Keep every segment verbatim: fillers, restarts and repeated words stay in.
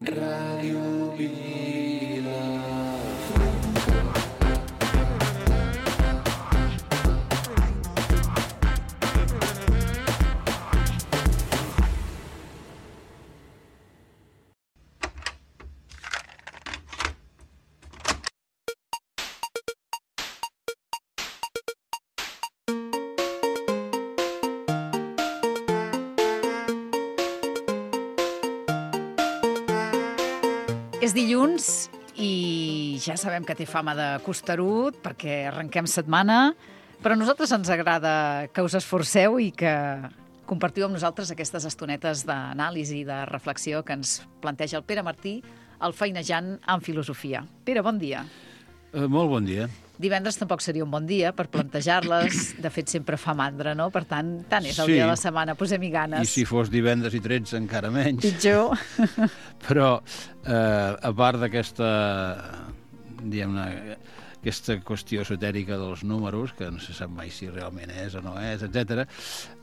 Ràdio Vila. És dilluns i ja sabem que té fama de costerut perquè arrenquem setmana, però a nosaltres ens agrada que us esforceu i que compartiu amb nosaltres aquestes estonetes d'anàlisi i de reflexió que ens planteja el Pere Martí, el feinejant en filosofia. Pere, bon dia. Uh, molt bon dia. Divendres tampoc seria un bon dia per plantejar-les. De fet, sempre fa mandra, no? Per tant, tant és el Sí. dia de la setmana. Posem-hi ganes. I si fos divendres i tretze, encara menys. Pitjor. Però, eh, a part d'aquesta, diguem-ne, aquesta qüestió esotèrica dels números, que no se sap mai si realment és o no és, etcètera.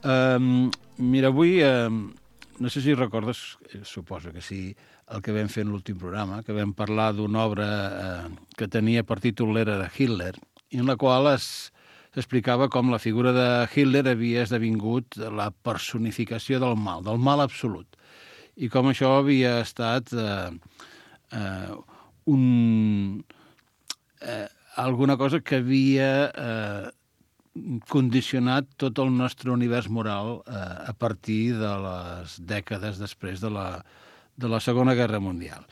Eh, mira, avui, eh, no sé si recordes, eh, suposo que sí, el que vam fer en l'últim programa, que vam parlar d'una obra eh, que tenia per títol l'era de Hitler, i en la qual es s'explicava com la figura de Hitler havia esdevingut la personificació del mal, del mal absolut, i com això havia estat eh, eh, un, eh, alguna cosa que havia eh, condicionat tot el nostre univers moral eh, a partir de les dècades després de la, de la Segona Guerra Mundial.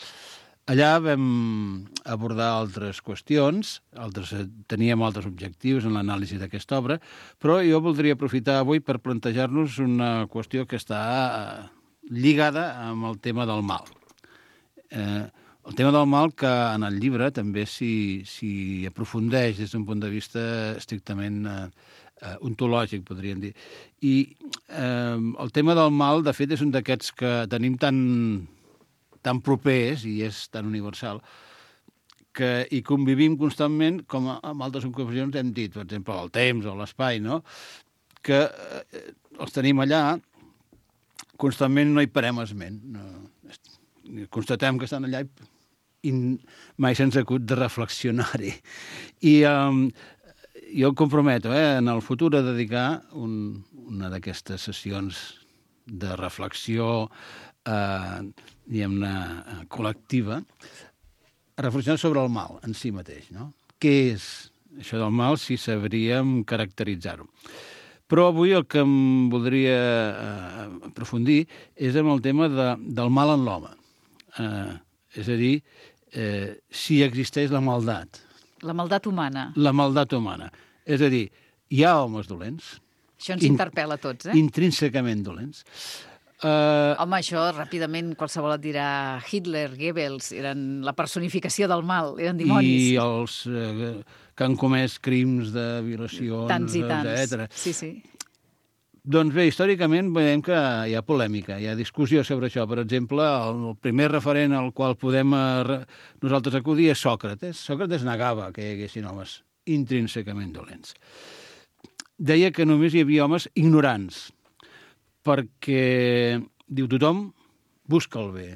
Allà vam abordar altres qüestions, altres, teníem altres objectius en l'anàlisi d'aquesta obra, però jo voldria aprofitar avui per plantejar-nos una qüestió que està lligada amb el tema del mal. Eh, el tema del mal que en el llibre també s'hi aprofundeix des d'un punt de vista estrictament eh, eh, ontològic, podríem dir. I eh, el tema del mal, de fet, és un d'aquests que tenim tan, tan propers, i és tan universal, que hi convivim constantment, com en altres ocasions hem dit, per exemple, el temps o l'espai, no? Que eh, els tenim allà, constantment no hi parem esment. No, constatem que estan allà i i mai se'ns acut de reflexionar-hi. I um, jo em comprometo eh, en el futur a dedicar un, una d'aquestes sessions de reflexió eh, diguem-ne col·lectiva a reflexionar sobre el mal en si mateix, no? Què és això del mal, si sabríem caracteritzar-ho. Però avui el que em voldria eh, aprofundir és amb el tema de, del mal en l'home. Eh, és a dir, eh, si existeix la maldat. La maldat humana. La maldat humana. És a dir, hi ha homes dolents. Això ens interpel·la a tots, eh? Intrínsecament dolents. Uh, Home, això ràpidament qualsevol et dirà Hitler, Goebbels, eren la personificació del mal, eren dimonis. I els eh, que han comès crims de violacions, tants i tants. etcètera. Sí, sí. Doncs bé, històricament veiem que hi ha polèmica, hi ha discussió sobre això. Per exemple, el primer referent al qual podem eh, nosaltres acudir és Sòcrates. Sòcrates negava que hi haguessin homes intrínsecament dolents. Deia que només hi havia homes ignorants, perquè, diu, tothom busca el bé.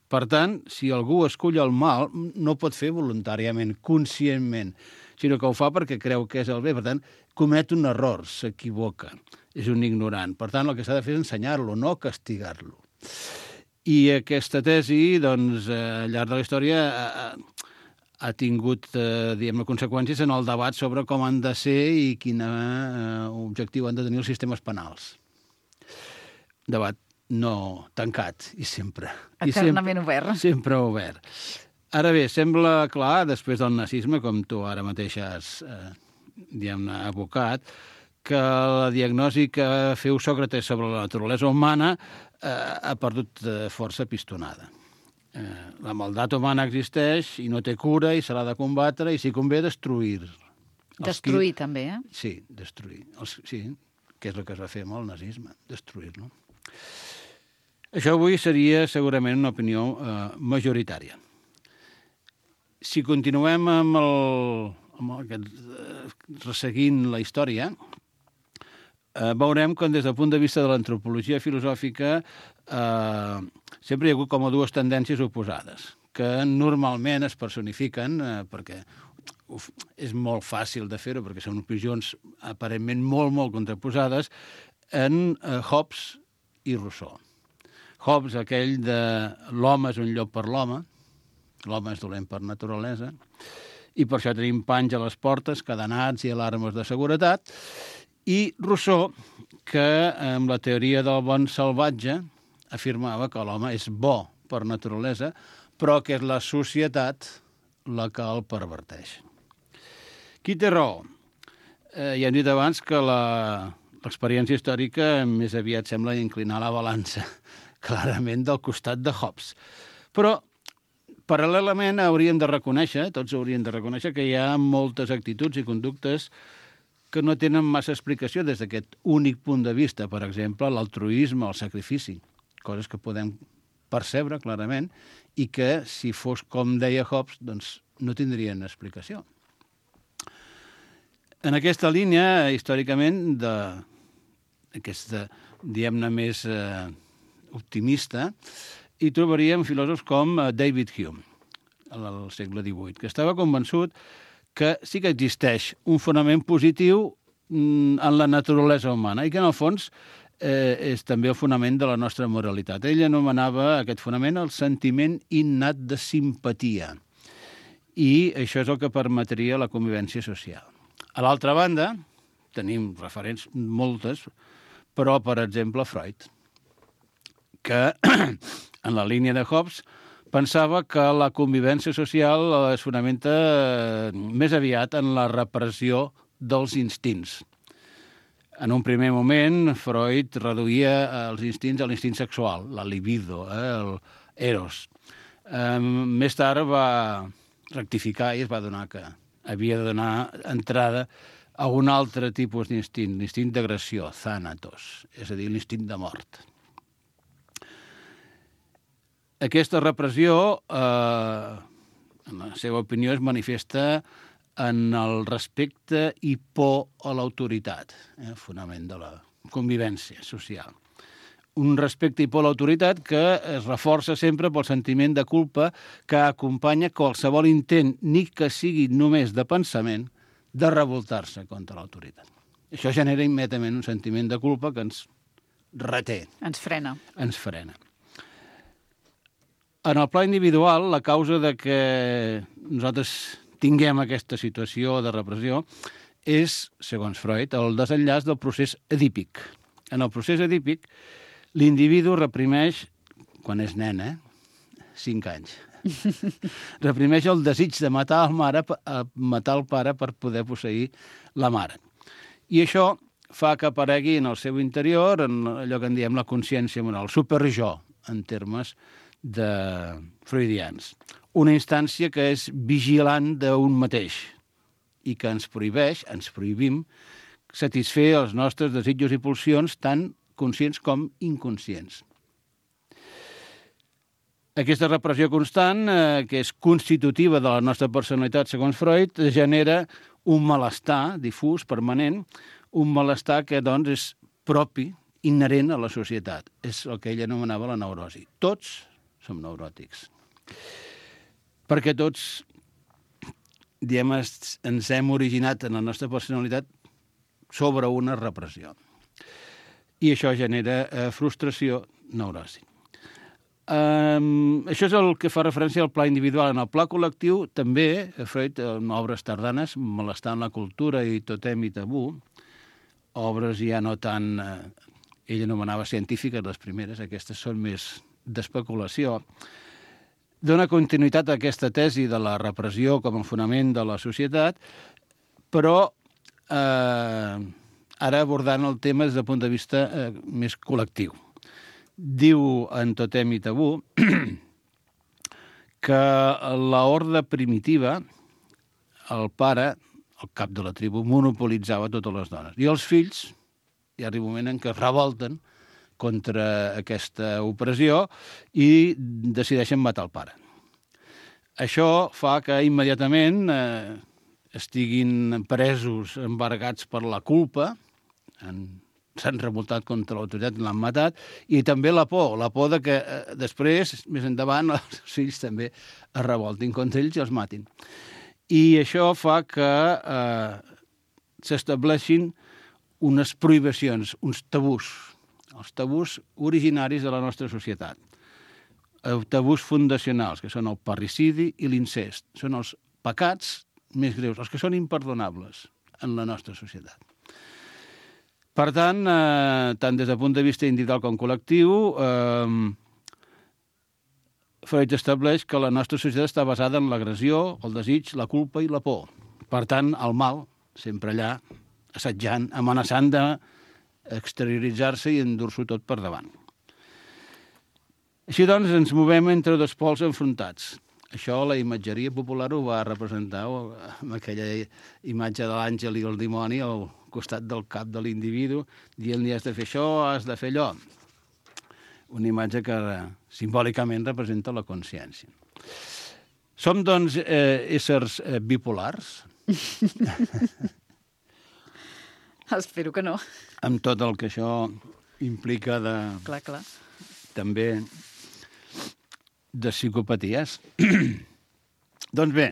Per tant, si algú escull el mal, no pot fer voluntàriament, conscientment, sinó que ho fa perquè creu que és el bé. Per tant, comet un error, s'equivoca, és un ignorant. Per tant, el que s'ha de fer és ensenyar-lo, no castigar-lo. I aquesta tesi, doncs, al llarg de la història ha, ha tingut, eh, diguem-ne, conseqüències en el debat sobre com han de ser i quin eh, objectiu han de tenir els sistemes penals. Debat no tancat, i sempre. Eternament I sempre, obert. Sempre obert. Ara bé, sembla clar, després del nazisme, com tu ara mateix has, eh, diguem-ne, abocat, que la diagnosi que feu Sòcrates sobre la naturalesa humana eh, ha perdut eh, força pistonada. Eh, la maldat humana existeix i no té cura i se l'ha de combatre i, si convé, destruir. Destruir, qui... també, eh? Sí, destruir. Els... Sí, que és el que es va fer amb el nazisme, destruir-lo. Això avui seria segurament una opinió eh, majoritària. Si continuem amb, el, amb el, resseguint la història, eh, veurem que des del punt de vista de l'antropologia filosòfica eh, sempre hi ha hagut com a dues tendències oposades, que normalment es personifiquen eh, perquè uf, és molt fàcil de fer-ho, perquè són opinions aparentment molt, molt contraposades, en eh, Hobbes i Rousseau. Hobbes, aquell de l'home és un llop per l'home, l'home és dolent per naturalesa, i per això tenim panys a les portes, cadenats i alarmes de seguretat, i Rousseau, que amb la teoria del bon salvatge afirmava que l'home és bo per naturalesa, però que és la societat la que el perverteix. Qui té raó? Eh, ja hem dit abans que la, l'experiència històrica més aviat sembla inclinar la balança clarament del costat de Hobbes. Però, paral·lelament, hauríem de reconèixer, tots hauríem de reconèixer, que hi ha moltes actituds i conductes que no tenen massa explicació des d'aquest únic punt de vista. Per exemple, l'altruisme, el sacrifici, coses que podem percebre clarament i que, si fos com deia Hobbes, doncs no tindrien explicació. En aquesta línia, històricament, d'aquesta, diguem-ne, més eh, optimista, hi trobaríem filòsofs com David Hume, al segle divuit, que estava convençut que sí que existeix un fonament positiu en la naturalesa humana i que, en el fons, eh, és també el fonament de la nostra moralitat. Ell anomenava aquest fonament el sentiment innat de simpatia, i això és el que permetria la convivència social. A l'altra banda, tenim referents moltes, però, per exemple, Freud, que en la línia de Hobbes pensava que la convivència social es fonamenta més aviat en la repressió dels instints. En un primer moment, Freud reduïa els instints a l'instint sexual, la libido, eh, el eros. Eh, més tard va rectificar i es va donar que havia de donar entrada a un altre tipus d'instint, l'instint d'agressió, thanatos, és a dir, l'instint de mort. Aquesta repressió, eh, en la seva opinió, es manifesta en el respecte i por a l'autoritat, eh, el fonament de la convivència social. Un respecte i por a l'autoritat que es reforça sempre pel sentiment de culpa que acompanya qualsevol intent, ni que sigui només de pensament, de revoltar-se contra l'autoritat. Això genera immediatament un sentiment de culpa que ens reté. Ens frena. Ens frena. En el pla individual, la causa de que nosaltres tinguem aquesta situació de repressió és, segons Freud, el desenllaç del procés edípic. En el procés edípic, l'individu reprimeix, quan és nen, eh? cinc anys, reprimeix el desig de matar el, mare, matar el pare per poder posseir la mare. I això fa que aparegui en el seu interior, en allò que en diem la consciència moral, super-jo, en termes de freudians. Una instància que és vigilant d'un mateix i que ens prohibeix, ens prohibim, satisfer els nostres desitjos i pulsions tant conscients com inconscients. Aquesta repressió constant, eh, que és constitutiva de la nostra personalitat, segons Freud, genera un malestar difús, permanent, un malestar que, doncs, és propi, inherent a la societat. És el que ell anomenava la neurosi. Tots som neuròtics. Perquè tots, diem, ens hem originat en la nostra personalitat sobre una repressió. I això genera eh, frustració, neurosi. Um, això és el que fa referència al pla individual. En el pla col·lectiu, també, Freud, en obres tardanes, Malestar en la cultura i Totem i tabú, obres ja no tan... Eh, ell anomenava científiques, les primeres, aquestes són més d'especulació, dona continuïtat a aquesta tesi de la repressió com a fonament de la societat, però eh, ara abordant el tema des del punt de vista eh, més col·lectiu. Diu en Totem i tabú que l'horda primitiva, el pare, el cap de la tribu, monopolitzava totes les dones. I els fills, hi arriba un moment en què es revolten contra aquesta opressió i decideixen matar el pare. Això fa que immediatament eh, estiguin presos, embargats per la culpa, en s'han revoltat contra l'autoritat, l'han matat, i també la por, la por de que eh, després, més endavant, els fills també es revoltin contra ells i els matin. I això fa que eh, s'estableixin unes prohibicions, uns tabús, els tabús originaris de la nostra societat. Els tabús fundacionals, que són el parricidi i l'incest. Són els pecats més greus, els que són imperdonables en la nostra societat. Per tant, eh, tant des del punt de vista individual com col·lectiu, eh, Freud estableix que la nostra societat està basada en l'agressió, el desig, la culpa i la por. Per tant, el mal, sempre allà, assetjant, amenaçant d'exterioritzar-se i endur-s'ho tot per davant. Així doncs, ens movem entre dos pols enfrontats. Això la imatgeria popular ho va representar amb aquella imatge de l'àngel i el dimoni al costat del cap de l'individu, dient-li has de fer això, has de fer allò. Una imatge que simbòlicament representa la consciència. Som, doncs, eh, éssers eh, bipolars? Espero que no. Amb tot el que això implica de... Clar, clar. També de psicopaties. Doncs bé,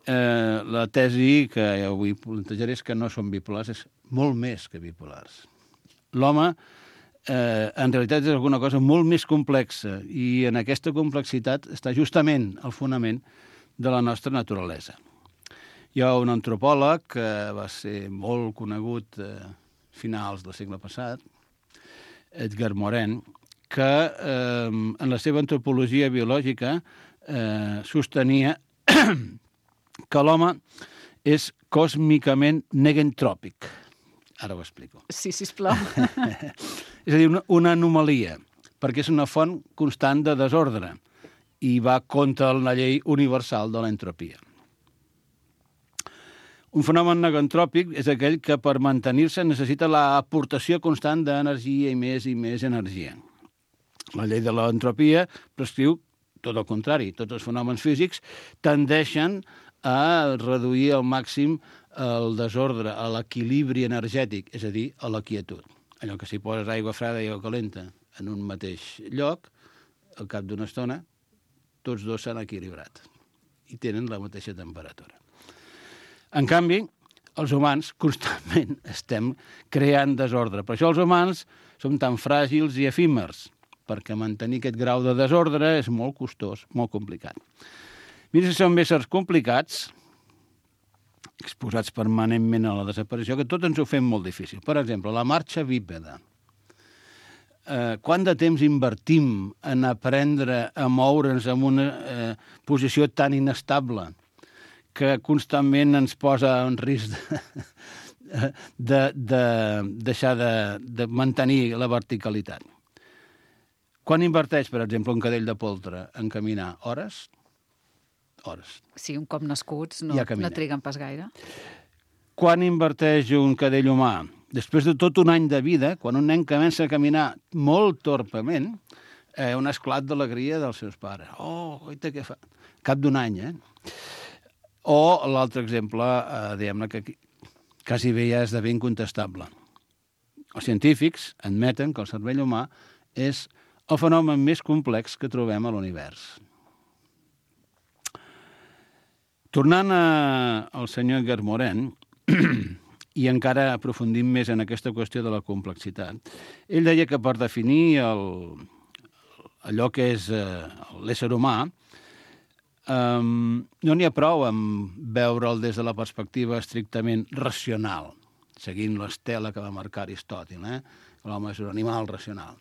eh, la tesi que avui plantejaré és que no som bipolars, és molt més que bipolars. L'home, eh, en realitat, és alguna cosa molt més complexa i en aquesta complexitat està justament el fonament de la nostra naturalesa. Hi ha un antropòleg que va ser molt conegut a finals del segle passat, Edgar Morin, que eh, en la seva antropologia biològica eh, sostenia que l'home és còsmicament negentròpic. Ara ho explico. Sí, sisplau. És a dir, una, una anomalia, perquè és una font constant de desordre i va contra la llei universal de l'entropia. Un fenomen negentròpic és aquell que per mantenir-se necessita l'aportació constant d'energia i més i més energia. La llei de l'entropia prescriu tot el contrari. Tots els fenòmens físics tendeixen a reduir al màxim el desordre, a l'equilibri energètic, és a dir, a la quietud. Allò que si poses aigua freda i aigua calenta en un mateix lloc, al cap d'una estona, tots dos s'han equilibrat i tenen la mateixa temperatura. En canvi, els humans constantment estem creant desordre. Per això els humans som tan fràgils i efímers, perquè mantenir aquest grau de desordre és molt costós, molt complicat. Mira si som éssers complicats, exposats permanentment a la desaparició, que tot ens ho fem molt difícil. Per exemple, la marxa bípeda. Eh, quant de temps invertim en aprendre a moure'ns en una eh, posició tan inestable que constantment ens posa en risc de, de, de deixar de, de mantenir la verticalitat. Quan inverteix, per exemple, un cadell de poltre en caminar? Hores? Hores. Sí, un cop nascuts no, Ja no caminem. triguen pas gaire. Quan inverteix un cadell humà? Després de tot un any de vida, quan un nen comença a caminar molt torpement, eh, un esclat d'alegria dels seus pares. Oh, oita, què fa? Cap d'un any, eh? O l'altre exemple, eh, diguem-ne, que quasi bé ja esdevé incontestable. Els científics admeten que el cervell humà és el fenomen més complex que trobem a l'univers. Tornant a, al senyor Edgar Morin, i encara aprofundint més en aquesta qüestió de la complexitat, ell deia que per definir el, allò que és eh, l'ésser humà, Um, no n'hi ha prou amb veure'l des de la perspectiva estrictament racional, seguint l'estela que va marcar Aristòtil, eh? L'home és un animal racional.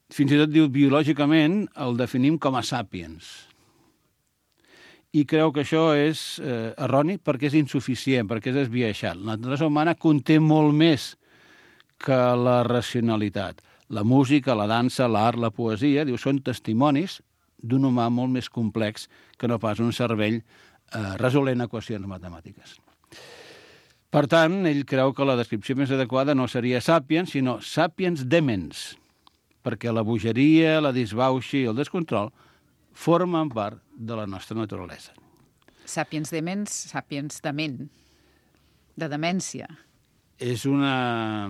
Fins i tot diu, biològicament el definim com a sàpiens. I creu que això és eh, erroni perquè és insuficient, perquè és esbiaixat. La naturalesa humana conté molt més que la racionalitat. La música, la dansa, l'art, la poesia, diu, són testimonis d'un humà molt més complex que no pas un cervell eh, resolent equacions matemàtiques. Per tant, ell creu que la descripció més adequada no seria sapiens, sinó sapiens demens, perquè la bogeria, la disbauxa i el descontrol formen part de la nostra naturalesa. Sapiens demens, sapiens dement, de demència. és una...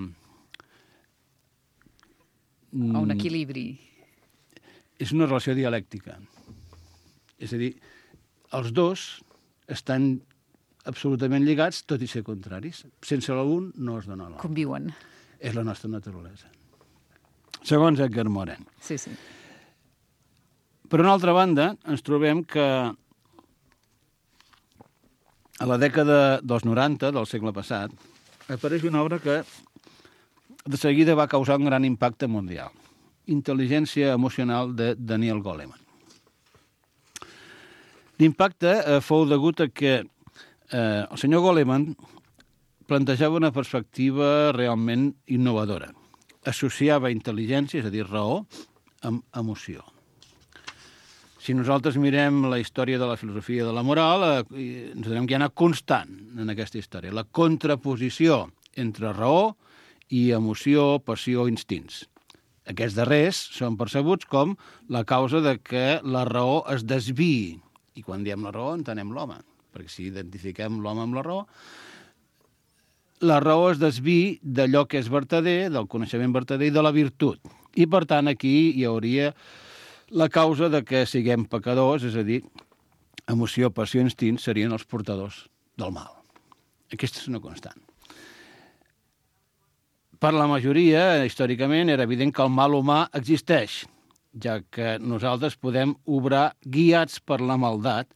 O un equilibri. És una relació dialèctica. És a dir, els dos estan absolutament lligats, tot i ser contraris. Sense l'un no es dona l'altre. Conviuen. És la nostra naturalesa. Segons Edgar Morin. Sí, sí. Per una altra banda, ens trobem que a la dècada dels noranta del segle passat apareix una obra que de seguida va causar un gran impacte mundial. Intel·ligència emocional de Daniel Goleman. L'impacte eh, fou degut a que eh, el senyor Goleman plantejava una perspectiva realment innovadora. Associava intel·ligència, és a dir, raó, amb emoció. Si nosaltres mirem la història de la filosofia de la moral, eh, ens adonem que hi ha una constant en aquesta història. La contraposició entre raó i emoció, passió, instints. Aquests darrers són percebuts com la causa de que la raó es desviï. I quan diem la raó entenem l'home, perquè si identifiquem l'home amb la raó, la raó es desviï d'allò que és vertader, del coneixement vertader i de la virtut. I, per tant, aquí hi hauria la causa de que siguem pecadors, és a dir, emoció, passió i instints serien els portadors del mal. Aquesta és una constant. Per la majoria, històricament, era evident que el mal humà existeix, ja que nosaltres podem obrar guiats per la maldat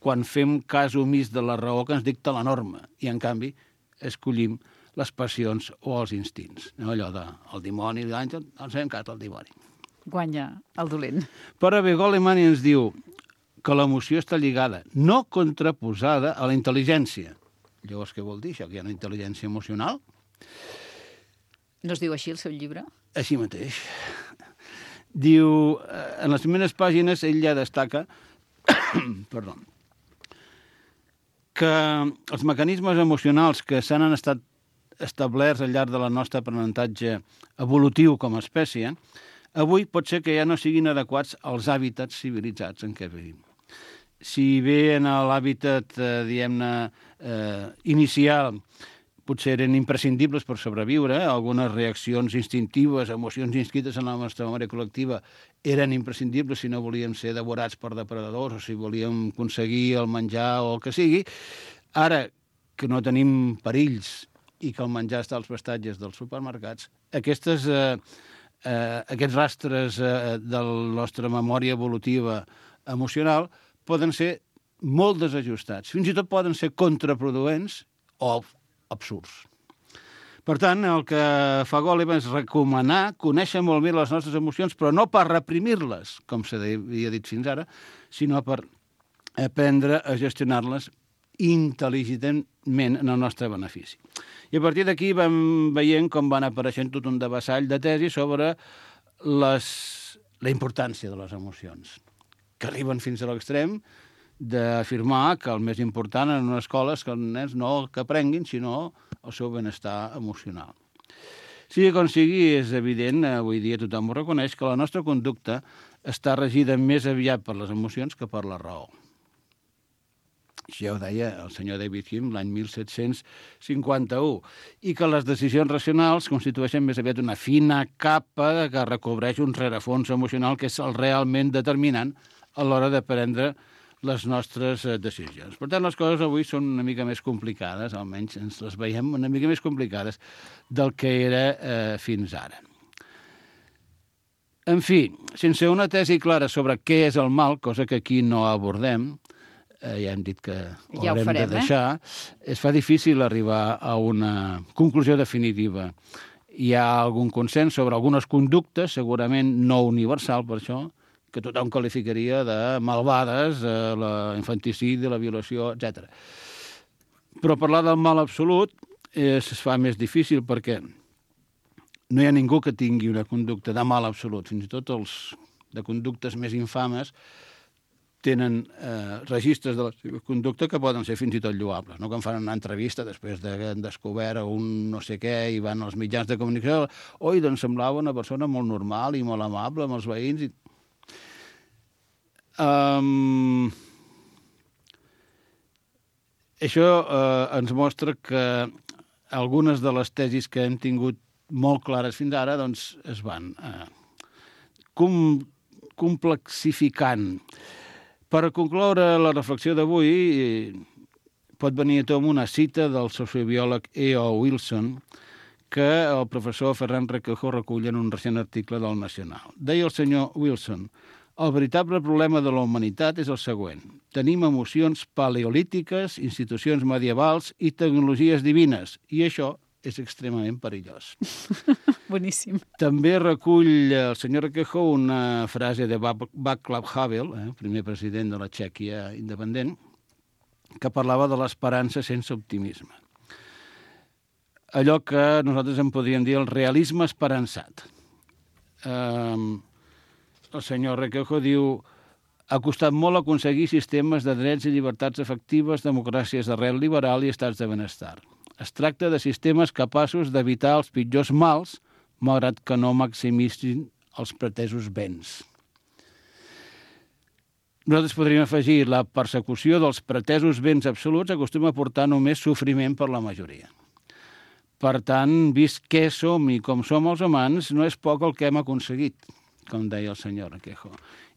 quan fem cas omís de la raó que ens dicta la norma i, en canvi, escollim les passions o els instints. No? Allò del dimoni, l'àngel, ens fem cas al dimoni. Guanya el dolent. Però bé, Goleman ens diu que l'emoció està lligada, no contraposada a la intel·ligència. Llavors, què vol dir això? Que hi ha una intel·ligència emocional? No es diu així el seu llibre? Així mateix. Diu, en les primeres pàgines, ell ja destaca perdó, que els mecanismes emocionals que s'han estat establerts al llarg de la nostra aprenentatge evolutiu com a espècie, avui pot ser que ja no siguin adequats als hàbitats civilitzats en què vivim. Si bé en l'hàbitat, eh, diguem-ne, eh, inicial, potser eren imprescindibles per sobreviure, algunes reaccions instintives, emocions inscrites en la nostra memòria col·lectiva eren imprescindibles si no volíem ser devorats per depredadors o si volíem aconseguir el menjar o el que sigui. Ara que no tenim perills i que el menjar està als prestatges dels supermercats, aquestes, eh, eh, aquests rastres eh, de la nostra memòria evolutiva emocional poden ser molt desajustats. Fins i tot poden ser contraproduents o absurds. Per tant, el que fa Goleman és recomanar conèixer molt bé les nostres emocions, però no per reprimir-les, com s'havia dit fins ara, sinó per aprendre a gestionar-les intel·ligentment en el nostre benefici. I a partir d'aquí vam veient com van apareixent tot un devessall de tesis sobre les, la importància de les emocions, que arriben fins a l'extrem d'afirmar que el més important en una escola és que els nens no que aprenguin, sinó el seu benestar emocional. Sigui com sigui, és evident, avui dia tothom ho reconeix, que la nostra conducta està regida més aviat per les emocions que per la raó. Això ja ho deia el senyor David Hume l'any mil set-cents cinquanta-u, i que les decisions racionals constitueixen més aviat una fina capa que recobreix un rerefons emocional que és el realment determinant a l'hora de prendre les nostres decisions. Per tant, les coses avui són una mica més complicades, almenys ens les veiem una mica més complicades del que era eh, fins ara. En fi, sense una tesi clara sobre què és el mal, cosa que aquí no abordem, eh, ja hem dit que ho ja haurem ho farem, de deixar, eh? Es fa difícil arribar a una conclusió definitiva. Hi ha algun consens sobre algunes conductes, segurament no universal per això, que tothom qualificaria de malvades, eh, l'infanticidi, la violació, etcètera. Però parlar del mal absolut es fa més difícil perquè no hi ha ningú que tingui una conducta de mal absolut. Fins i tot els de conductes més infames tenen eh, registres de la seva conducta que poden ser fins i tot lloables. No? Que em fan una entrevista després de que han descobert un no sé què i van als mitjans de comunicació. Oi, doncs semblava una persona molt normal i molt amable amb els veïns i Um, això uh, ens mostra que algunes de les tesis que hem tingut molt clares fins ara doncs, es van eh, com, complexificant. Per concloure la reflexió d'avui, eh, pot venir a tom una cita del sociobiòleg E O Wilson que el professor Ferran Requejo recull en un recent article del Nacional. Deia el senyor Wilson: el veritable problema de la humanitat és el següent. Tenim emocions paleolítiques, institucions medievals i tecnologies divines, i això és extremament perillós. Boníssim. També recull el senyor Requejo una frase de Václav Havel, eh, primer president de la Txèquia independent, que parlava de l'esperança sense optimisme. Allò que nosaltres en podríem dir el realisme esperançat. Eh, el senyor Requejo diu: ha costat molt aconseguir sistemes de drets i llibertats efectives, democràcies d'arrel liberal i estats de benestar. Es tracta de sistemes capaços d'evitar els pitjors mals, malgrat que no maximitzin els pretesos béns. Nosaltres podríem afegir: la persecució dels pretesos béns absoluts acostuma a portar només sofriment per la majoria. Per tant, vist què som i com som els humans, no és poc el que hem aconseguit, com deia el senyor Requejo,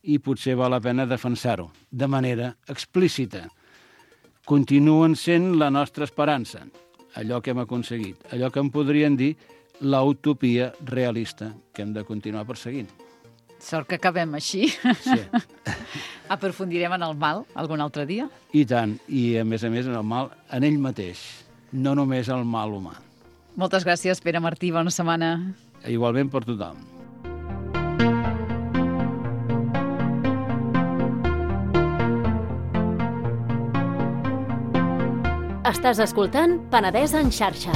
i potser val la pena defensar-ho de manera explícita. Continuen sent la nostra esperança, allò que hem aconseguit, allò que en podrien dir l'utopia realista que hem de continuar perseguint. Sort que acabem així. Sí. Aprofundirem en el mal algun altre dia? I tant, i a més a més en el mal en ell mateix, no només el mal humà. Moltes gràcies, Pere Martí, bona setmana. Igualment per tothom. Estàs escoltant Penedès en xarxa.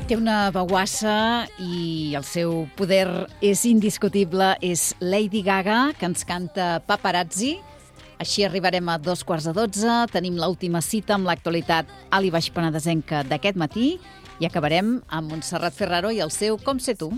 Té una veuassa i el seu poder és indiscutible. És Lady Gaga, que ens canta Paparazzi. Així arribarem a dos quarts de dotze. Tenim l'última cita amb l'actualitat Ali Baix Penedesenca d'aquest matí i acabarem amb Montserrat Ferraro i el seu Com sé tu.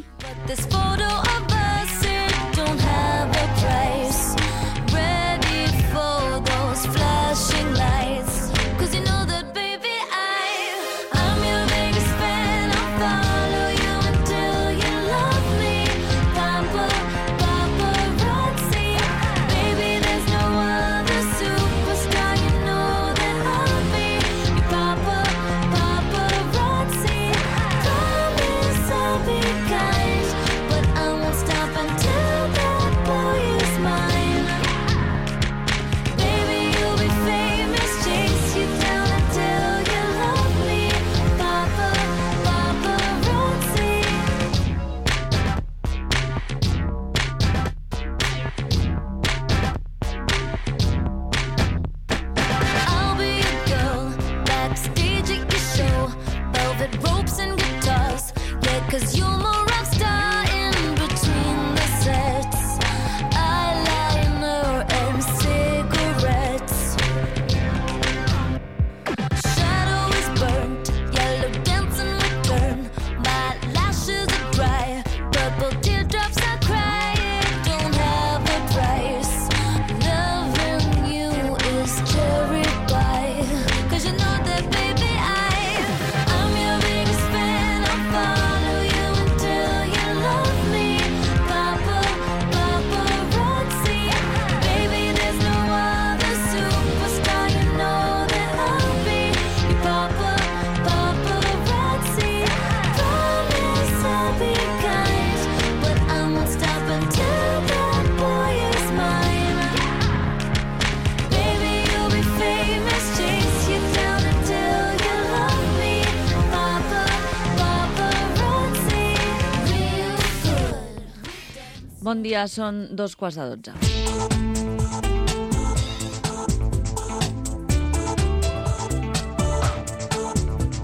Bon dia, són dos quarts de dotze.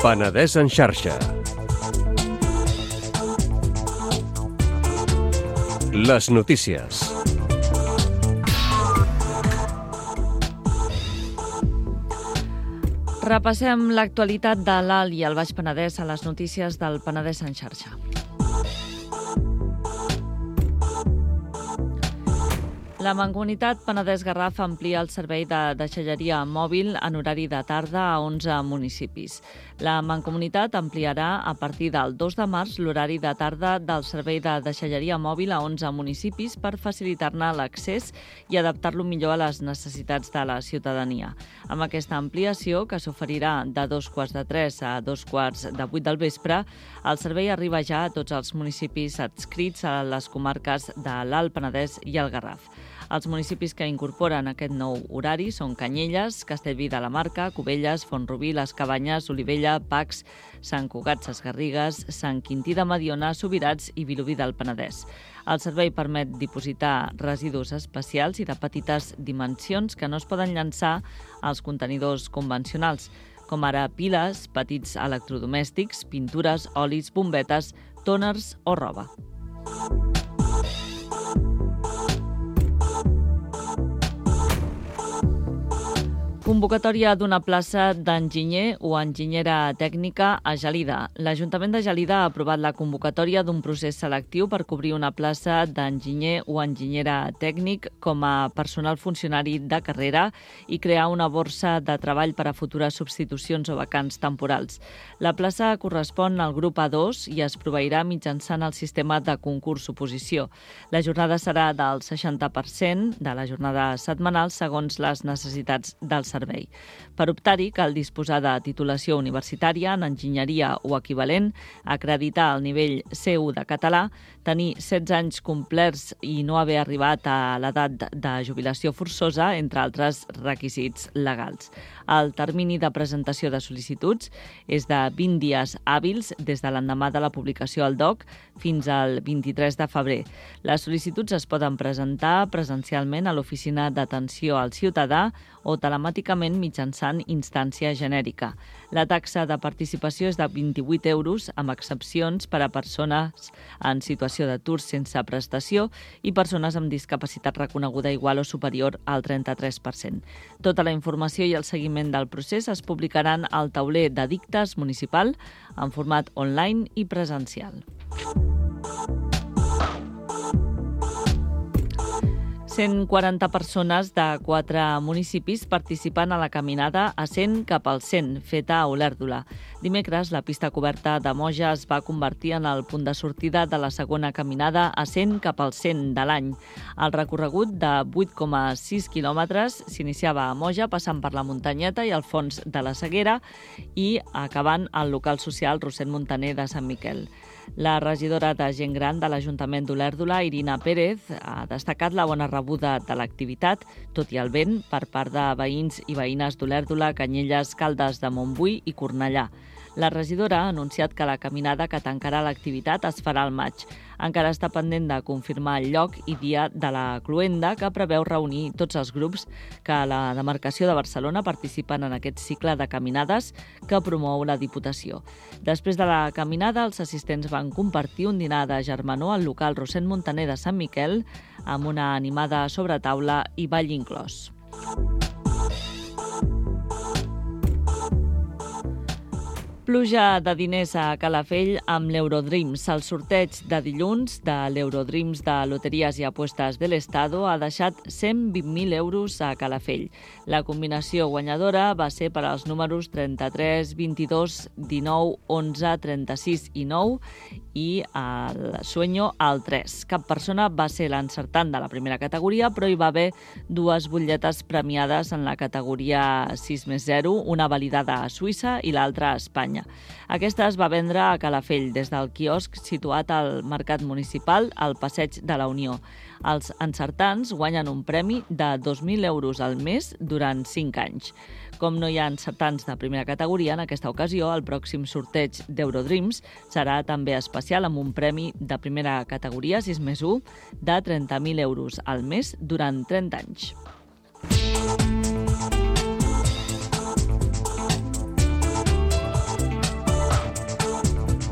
Penedès en xarxa. Les notícies. Repassem l'actualitat de l'Alt i el Baix Penedès a les notícies del Penedès en xarxa. La Mancomunitat Penedès-Garraf amplia el servei de deixalleria mòbil en horari de tarda a onze municipis. La Mancomunitat ampliarà a partir del dos de març l'horari de tarda del servei de deixalleria mòbil a onze municipis per facilitar-ne l'accés i adaptar-lo millor a les necessitats de la ciutadania. Amb aquesta ampliació, que s'oferirà de dos quarts de tres a dos quarts de vuit del vespre, el servei arriba ja a tots els municipis adscrits a les comarques de l'Alt Penedès i el Garraf. Els municipis que incorporen aquest nou horari són Canyelles, Castellví de la Marca, Cubelles, Font-rubí, Les Cabanyes, Olivella, Pacs, Sant Cugat Sesgarrigues, Sant Quintí de Mediona, Subirats i Vilobí del Penedès. El servei permet dipositar residus especials i de petites dimensions que no es poden llançar als contenidors convencionals, com ara piles, petits electrodomèstics, pintures, olis, bombetes, tòners o roba. Convocatòria d'una plaça d'enginyer o enginyera tècnica a Gelida. L'Ajuntament de Gelida ha aprovat la convocatòria d'un procés selectiu per cobrir una plaça d'enginyer o enginyera tècnic com a personal funcionari de carrera i crear una borsa de treball per a futures substitucions o vacants temporals. La plaça correspon al grup A dos i es proveirà mitjançant el sistema de concurs-oposició. La jornada serà del seixanta per cent de la jornada setmanal segons les necessitats del servei. Per optar-hi, cal disposar de titulació universitària en enginyeria o equivalent, acreditar el nivell C u de català, tenir setze anys complerts i no haver arribat a l'edat de jubilació forçosa, entre altres requisits legals. El termini de presentació de sol·licituds és de vint dies hàbils des de l'endemà de la publicació al D O C fins al vint-i-tres de febrer. Les sol·licituds es poden presentar presencialment a l'Oficina d'Atenció al Ciutadà o telemàticament mitjançant instància genèrica. La taxa de participació és de vint-i-vuit euros, amb excepcions per a persones en situació d'atur sense prestació i persones amb discapacitat reconeguda igual o superior al trenta-tres per cent. Tota la informació i el seguiment del procés es publicaran al tauler de dictes municipal en format online i presencial. cent quaranta persones de quatre municipis participen a la caminada a cent cap al cent, feta a Olèrdola. Dimecres, la pista coberta de Moja es va convertir en el punt de sortida de la segona caminada a cent cap al cent de l'any. El recorregut de vuit coma sis quilòmetres s'iniciava a Moja, passant per la muntanyeta i el fons de la Seguera i acabant al local social Roset Montaner de Sant Miquel. La regidora de Gent Gran de l'Ajuntament d'Olèrdola, Irina Pérez, ha destacat la bona rebuda de l'activitat, tot i el vent, per part de veïns i veïnes d'Olèrdola, Canyelles, Caldes de Montbui i Cornellà. La regidora ha anunciat que la caminada que tancarà l'activitat es farà al maig. Encara està pendent de confirmar el lloc i dia de la cloenda, que preveu reunir tots els grups que a la demarcació de Barcelona participen en aquest cicle de caminades que promou la Diputació. Després de la caminada, els assistents van compartir un dinar de germanor al local Roset Montaner de Sant Miquel amb una animada sobretaula i ball inclòs. Pluja de diners a Calafell amb l'Eurodreams. El sorteig de dilluns de l'Eurodreams de Loteries i Apuestes de l'Estado ha deixat cent vint mil euros a Calafell. La combinació guanyadora va ser per als números trenta-tres, vint-i-dos, dinou, onze, trenta-sis i nou i el sueño al tres. Cap persona va ser l'encertant de la primera categoria, però hi va haver dues butlletes premiades en la categoria sis més zero, una validada a Suïssa i l'altra a Espanya. Aquesta es va vendre a Calafell des del quiosc situat al Mercat Municipal al Passeig de la Unió. Els encertants guanyen un premi de dos mil euros al mes durant cinc anys. Com no hi ha encertants de primera categoria, en aquesta ocasió el pròxim sorteig d'Eurodreams serà també especial amb un premi de primera categoria sis més u de trenta mil euros al mes durant trenta anys.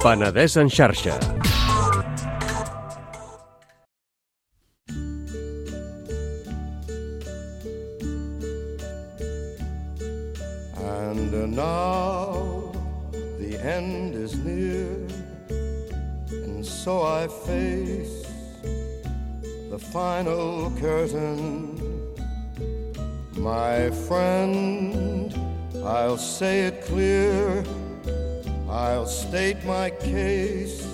Penedès en xarxa. And now the end is near, and so I face the final curtain. My friend, I'll say it clear, I'll state my case,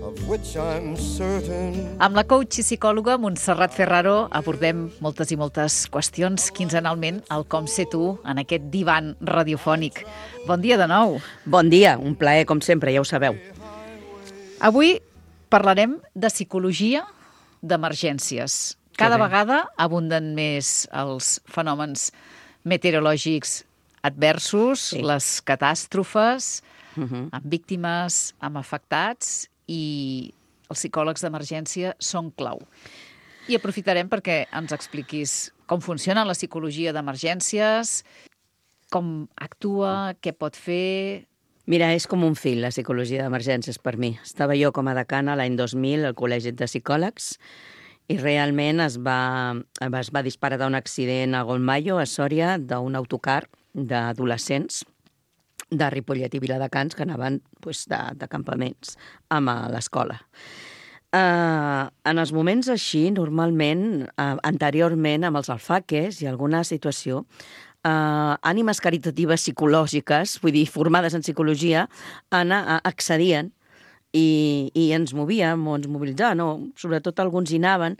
of which I'm certain. Amb la coach i psicòloga Montserrat Ferraro abordem moltes i moltes qüestions quinzenalment al Com Ser Tu en aquest divan radiofònic. Bon dia de nou. Bon dia, un plaer com sempre, ja ho sabeu. Avui parlarem de psicologia d'emergències. Cada vegada abunden més els fenòmens meteorològics adversos, sí. les catàstrofes, uh-huh. amb víctimes, amb afectats, i els psicòlegs d'emergència són clau. I aprofitarem perquè ens expliquis com funciona la psicologia d'emergències, com actua, què pot fer. Mira, és com un fil, la psicologia d'emergències per mi. Estava jo com a decana l'any dos mil al Col·legi de Psicòlegs i realment es va, es va disparar un accident a Golmayo, a Sòria, d'un autocar d'adolescents de Ripollet i Viladecans que anaven pues, de, de campaments amb a l'escola. Uh, en els moments així, normalment, uh, anteriorment, amb els alfaques i alguna situació, uh, ànimes caritatives psicològiques, vull dir, formades en psicologia, ana, uh, accedien i, i ens movíem o ens mobilitzaven, no? Sobretot alguns hi anaven,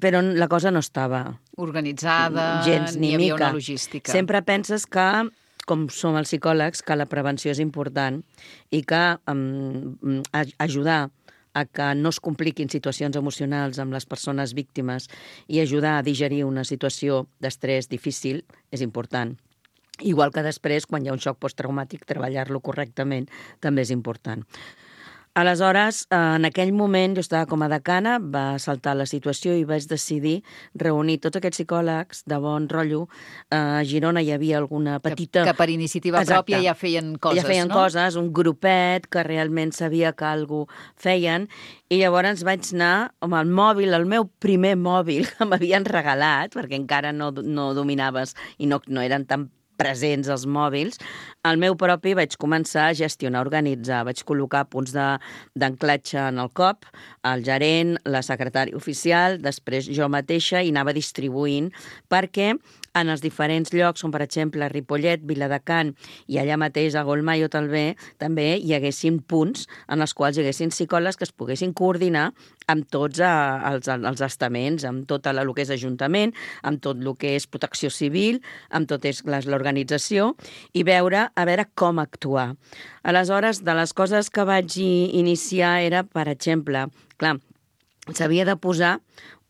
però la cosa no estava organitzada, gens ni hi havia mica. Una logística. Sempre penses que, com som els psicòlegs, que la prevenció és important i que um, ajudar a que no es compliquin situacions emocionals amb les persones víctimes i ajudar a digerir una situació d'estrès difícil és important. Igual que després, quan hi ha un xoc posttraumàtic, treballar-lo correctament també és important. Aleshores, en aquell moment, jo estava com a decana, va saltar la situació i vaig decidir reunir tots aquests psicòlegs de bon rotllo. A Girona hi havia alguna petita... Que, que per iniciativa Exacte. pròpia ja feien coses, ja feien no? coses, un grupet que realment sabia que algú feien, i llavors vaig anar amb el mòbil, el meu primer mòbil que m'havien regalat, perquè encara no, no dominaves i no, no eren tan presents els mòbils, el meu propi vaig començar a gestionar, a organitzar, vaig col·locar punts d'anclatge en el C O P, el gerent, la secretària oficial, després jo mateixa, i anava distribuint, perquè en els diferents llocs, com per exemple Ripollet, Viladecans i allà mateix a Golmayo també, també hi haguessin punts en els quals hi haguessin psicòlegs que es poguessin coordinar amb tots els, els estaments, amb tot el que és ajuntament, amb tot el que és protecció civil, amb tot l'organització, i veure a veure com actuar. Aleshores, de les coses que vaig iniciar era, per exemple, clar, s'havia de posar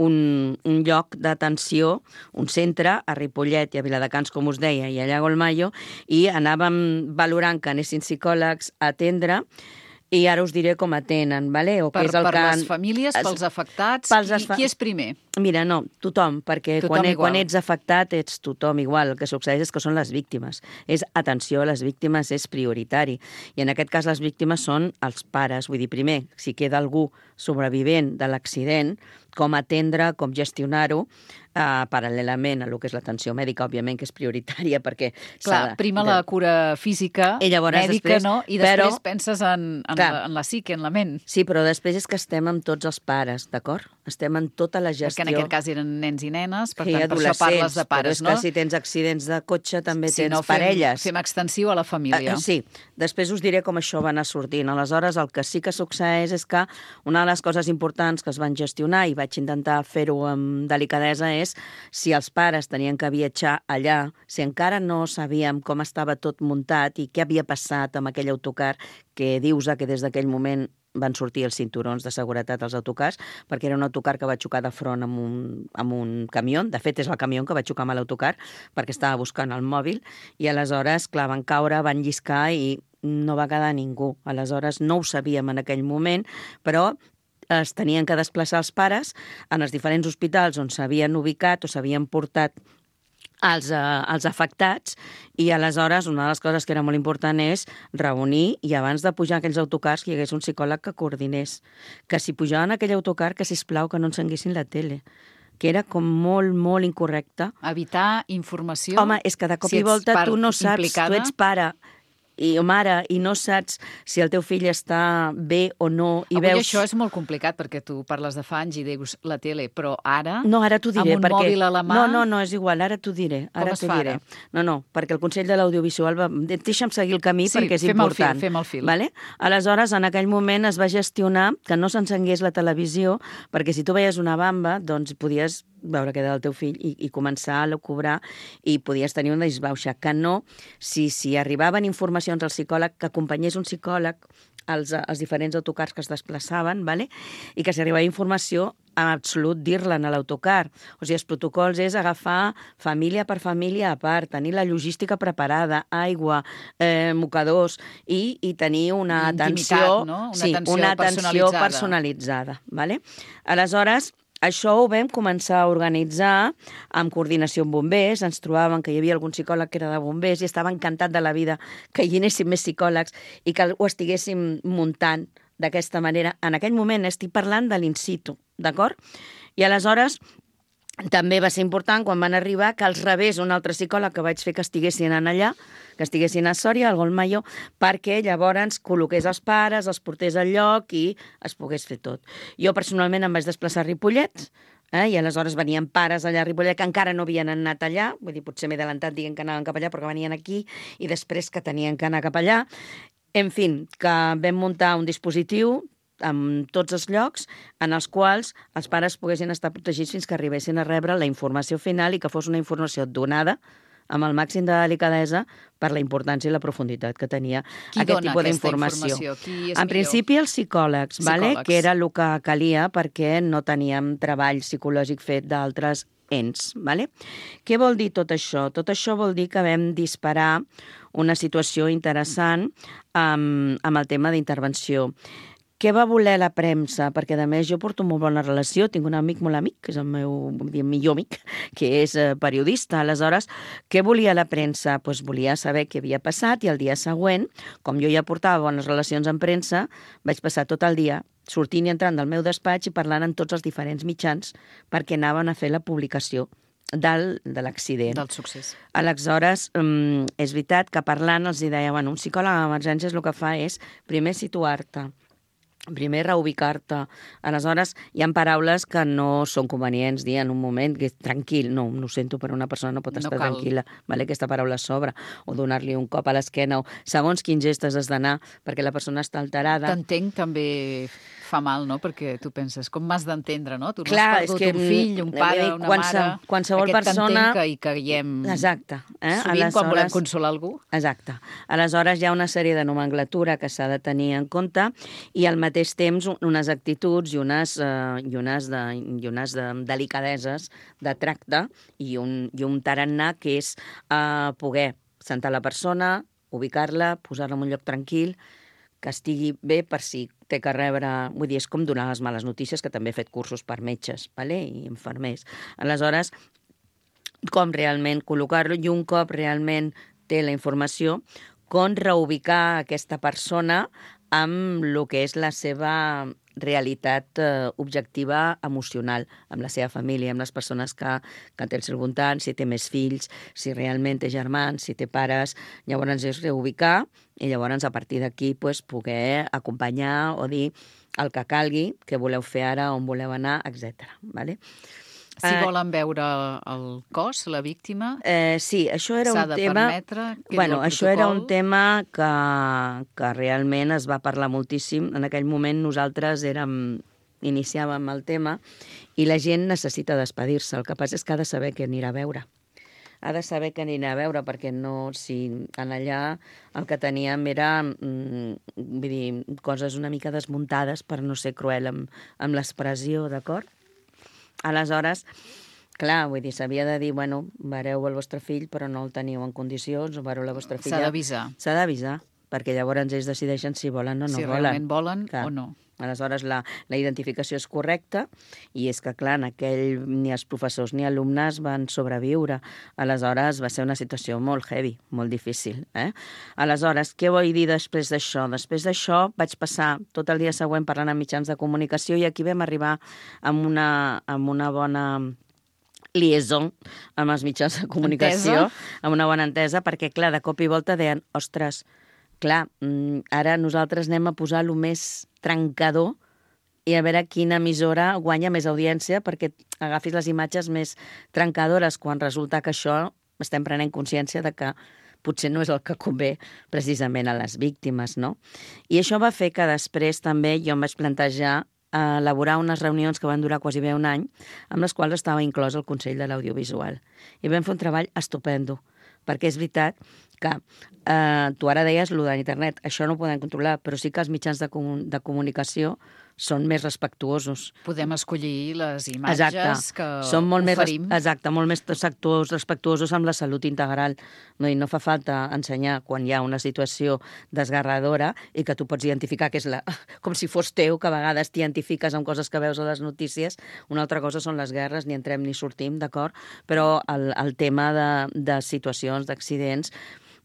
un, un lloc d'atenció, un centre a Ripollet i a Viladecans, com us deia, i allà a Golmayo, i anàvem valorant que anessin psicòlegs a atendre, i ara us diré com atenen, vale? O per, és el per que... les famílies, pels afectats, pels qui, esfa... qui és primer? Mira, no, tothom, perquè tothom quan, quan ets afectat ets tothom igual. El que succeeix és que són les víctimes. És atenció a les víctimes, és prioritari. I en aquest cas les víctimes són els pares. Vull dir, primer, si queda algú sobrevivent de l'accident, com atendre, com gestionar-ho, Uh, paral·lelament a el que és l'atenció mèdica, òbviament, que és prioritària, perquè... Clar, prima de... la cura física, llavors, mèdica, després, no? I després però, penses en, en, clar, la, en la psique, en la ment. Sí, però després és que estem amb tots els pares, d'acord? Estem en tota la gestió... Perquè en aquest cas eren nens i nenes, per sí, tant, per això parles de pares, però és no? que si tens accidents de cotxe també si tens no, fem, parelles. Fem extensiu a la família. Uh, sí, després us diré com això va anar sortint. Aleshores, el que sí que succeeix és que una de les coses importants que es van gestionar, i vaig intentar fer-ho amb delicadesa, és si els pares tenien que viatjar allà, si encara no sabíem com estava tot muntat i què havia passat amb aquell autocar, que dius que des d'aquell moment van sortir els cinturons de seguretat als autocars, perquè era un autocar que va xocar de front amb un, amb un camió. De fet, és el camió que va xocar amb l'autocar, perquè estava buscant el mòbil, i aleshores, clar, van caure, van lliscar i no va quedar ningú. Aleshores, no ho sabíem en aquell moment, però es tenien que desplaçar els pares en els diferents hospitals on s'havien ubicat o s'havien portat als, uh, als afectats, i aleshores una de les coses que era molt important és reunir, i abans de pujar aquells autocars que hi hagués un psicòleg que coordinés, que si pujaven aquell autocar que sisplau que no encenguessin la tele, que era com molt, molt incorrecte. Evitar informació. Home, és que de cop si i volta tu no saps, implicada. tu ets pare, i mare, i no saps si el teu fill està bé o no, i Avui veus... això és molt complicat, perquè tu parles de fa anys i dius la tele, però ara, No, ara t'ho diré, amb un perquè... mòbil a la mà... No, no, no, és igual, ara t'ho diré. Com Ara es t'ho fa diré. ara? No, no, perquè el Consell de l'Audiovisual va... Deixa'm seguir el camí Sí, perquè és fem el fil, important. fem el fil. Vale? Aleshores, en aquell moment es va gestionar que no s'encengués la televisió, perquè si tu veies una bamba, doncs podies veure què era el teu fill i, i començar a cobrar i podies tenir una disbauxa. Que no, si, si arribaven informacions al psicòleg, que acompanyés un psicòleg als, als diferents autocars que es desplaçaven, vale? I que si arribava informació, en absolut dir-la a l'autocar. O sigui, els protocols és agafar família per família a part, tenir la logística preparada, aigua, eh, mocadors, i, i tenir una Intimitat, atenció, no? Una sí, atenció una atenció personalitzada. personalitzada. Vale? Aleshores, això ho vam començar a organitzar amb coordinació amb bombers, ens trobàvem que hi havia algun psicòleg que era de bombers i estava encantat de la vida que hi anéssim més psicòlegs i que ho estiguéssim muntant d'aquesta manera. En aquell moment estic parlant de l'in situ, d'acord? I aleshores també va ser important quan van arribar que els rebés un altre psicòleg que vaig fer que estiguessin en allà, que estiguessin a Sòria, al Golmayo, perquè llavors col·loqués els pares, els portés al lloc i es pogués fer tot. Jo personalment em vaig desplaçar a Ripollet, eh, i aleshores venien pares allà a Ripollet que encara no havien anat allà, vull dir, potser m'he adelantat dient que anaven cap allà, però que venien aquí, i després que tenien que anar cap allà. En fi, que vam muntar un dispositiu amb tots els llocs en els quals els pares poguessin estar protegits fins que arribessin a rebre la informació final i que fos una informació donada amb el màxim de delicadesa per la importància i la profunditat que tenia Qui aquest dona tipus aquesta d'informació. informació? Qui és En millor? principi els psicòlegs, vale? Psicòlegs. Que era el que calia perquè no teníem treball psicològic fet d'altres ens. Vale? Què vol dir tot això? Tot això vol dir que vam disparar una situació interessant amb, amb el tema d'intervenció. Què va voler la premsa? Perquè, a més, jo porto molt bona relació, tinc un amic molt amic, que és el meu vull dir, millor amic, que és eh, periodista. Aleshores, què volia la premsa? Pues volia saber què havia passat i el dia següent, com jo ja portava bones relacions amb premsa, vaig passar tot el dia sortint i entrant del meu despatx i parlant amb tots els diferents mitjans perquè anaven a fer la publicació del, de l'accident. Del succés. Aleshores, um, és veritat que parlant els deia, bueno, un psicòleg d'emergències el que fa és primer situar-te, primer reubicar-te. Aleshores, hi ha paraules que no són convenients dir en un moment que és tranquil. No, no ho sento, però una persona no pot No estar cal. tranquil·la. Vale? Aquesta paraula sobra. O donar-li un cop a l'esquena. O segons quins gestes has d'anar perquè la persona està alterada. T'entenc també fa mal, no? Perquè tu penses, com m'has d'entendre, no? Tu no Clar, has és perdut que, un fill, un mm, pare, vull dir, una qualse- mare... qualsevol Aquest persona- t'entenc que hi caiem Exacte. Eh? sovint quan volem consolar algú. Exacte. Aleshores, hi ha una sèrie de nomenclatura que s'ha de tenir en compte i al mateix temps un- unes actituds i unes, eh, i unes, de, i unes de delicadeses de tracte i un, i un tarannà que és eh, poder sentar la persona, ubicar-la, posar-la en un lloc tranquil, que estigui bé per si té que rebre... Vull dir, és com donar les males notícies, que també he fet cursos per metges, vale? I infermers. Aleshores, com realment col·locar-lo i un cop realment té la informació, com reubicar aquesta persona amb el que és la seva realitat eh, objectiva emocional, amb la seva família, amb les persones que, que té al seu voltant, si té més fills, si realment té germans, si té pares, llavors és reubicar i llavors a partir d'aquí pues, poder acompanyar o dir el que calgui, què voleu fer ara, on voleu anar, etcètera. Vale? Si Eh, volen veure el cos, la víctima, Eh, sí, això era s'ha un de tema... permetre... que Bueno, el això era un protocol- tema que, que realment es va parlar moltíssim. En aquell moment nosaltres érem, iniciàvem el tema i la gent necessita despedir-se. El que passa és que ha de saber què anirà a veure. Ha de saber què anirà a veure, perquè no, si en allà el que teníem era mm, vull dir, coses una mica desmuntades per no ser cruel amb, amb l'expressió, d'acord? Aleshores, clar, vull dir, s'havia de dir, bueno, vareu el vostre fill, però no el teniu en condicions, o vareu la vostra filla... S'ha d'avisar. S'ha d'avisar, perquè llavors ells decideixen si volen o no Si volen. realment volen Clar. o no. Aleshores, la, la identificació és correcta i és que, clar, en aquell ni els professors ni alumnes van sobreviure. Aleshores, va ser una situació molt heavy, molt difícil. Eh? Aleshores, què vull dir després d'això? Després d'això vaig passar tot el dia següent parlant amb mitjans de comunicació i aquí vam arribar amb una, amb una bona liaison amb els mitjans de comunicació, Entesa. amb una bona entesa, perquè, clar, de cop i volta deien, ostres, clar, ara nosaltres anem a posar el més trencador i a veure quina emissora guanya més audiència perquè agafis les imatges més trencadores, quan resulta que això estem prenent consciència de que potser no és el que convé precisament a les víctimes, no? I això va fer que després també jo em vaig plantejar a elaborar unes reunions que van durar quasi bé un any, amb les quals estava inclòs el Consell de l'Audiovisual. I vam fer un treball estupendo, perquè és veritat que eh, tu ara deies allò d'internet, això no ho podem controlar, però sí que els mitjans de, comun de comunicació són més respectuosos. Podem escollir les imatges Exacte. que són molt oferim. Més, exacte, molt més sectors respectuosos amb la salut integral. No, i no fa falta ensenyar quan hi ha una situació desgarradora i que tu pots identificar que és la... com si fos teu, que a vegades t'identifiques amb coses que veus a les notícies. Una altra cosa són les guerres, ni entrem ni sortim, d'acord? Però el, el tema de, de situacions, d'accidents,